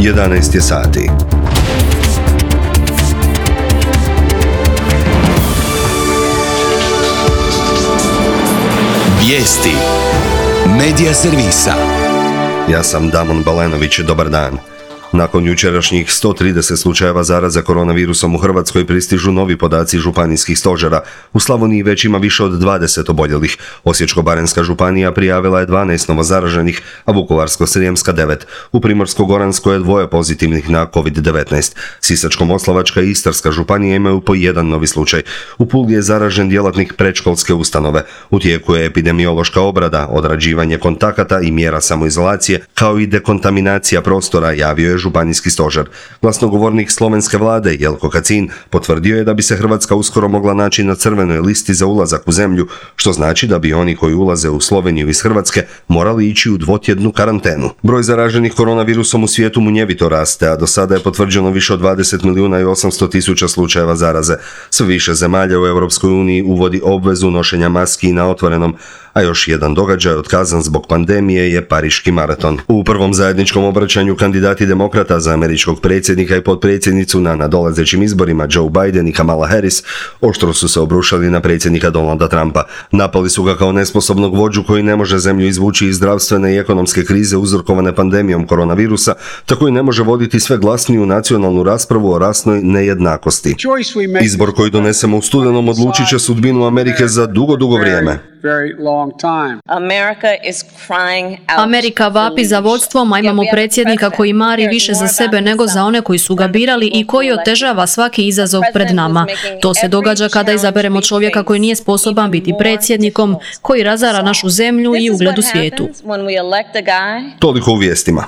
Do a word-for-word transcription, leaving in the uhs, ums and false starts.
jedanaest je sati. Vijesti Medija servisa. Ja sam Damon Balenović, dobar dan. Nakon jučerašnjih sto trideset slučajeva zaraze koronavirusom u Hrvatskoj pristižu novi podaci županijskih stožera. U Slavoniji već ima više od dvadeset oboljelih. Osječko-baranjska županija prijavila je dvanaest novozaraženih, a Vukovarsko-srijemska devet. U Primorsko-goranskoj je dvoje pozitivnih na kovid devetnaest. Sisačko-moslavačka i Istarska županija imaju po jedan novi slučaj. U Puli je zaražen djelatnik predškolske ustanove. U tijeku je epidemiološka obrada, odrađivanje kontakata i mjera samoizolacije, kao i dekontaminacija prostora, javio je županijski stožer. Glasnogovornik slovenske vlade Jelko Kacin potvrdio je da bi se Hrvatska uskoro mogla naći na crvenoj listi za ulazak u zemlju, što znači da bi oni koji ulaze u Sloveniju iz Hrvatske morali ići u dvotjednu karantenu. Broj zaraženih koronavirusom u svijetu munjevito raste, a do sada je potvrđeno više od dvadeset milijuna i osamsto tisuća slučajeva zaraze. Sve više zemalja u Europskoj uniji uvodi obvezu nošenja maski na otvorenom, a još jedan događaj otkazan zbog pandemije je Pariški maraton. U prvom zajedničkom obraćanju kandidati demokrata za američkog predsjednika i potpredsjednicu na nadolazećim izborima Joe Biden i Kamala Harris oštro su se obrušali na predsjednika Donalda Trumpa. Napali su ga kao nesposobnog vođu koji ne može zemlju izvući iz zdravstvene i ekonomske krize uzrokovane pandemijom koronavirusa, tako i ne može voditi sve glasniju nacionalnu raspravu o rasnoj nejednakosti. Izbor koji donesemo u studenom odlučit će sudbinu Amerike za dugo, dugo vrijeme. Amerika vapi za vodstvom, a imamo predsjednika koji mari više za sebe nego za one koji su ga birali i koji otežava svaki izazov pred nama. To se događa kada izaberemo čovjeka koji nije sposoban biti predsjednikom, koji razara našu zemlju i ugled u svijetu. Toliko u vijestima.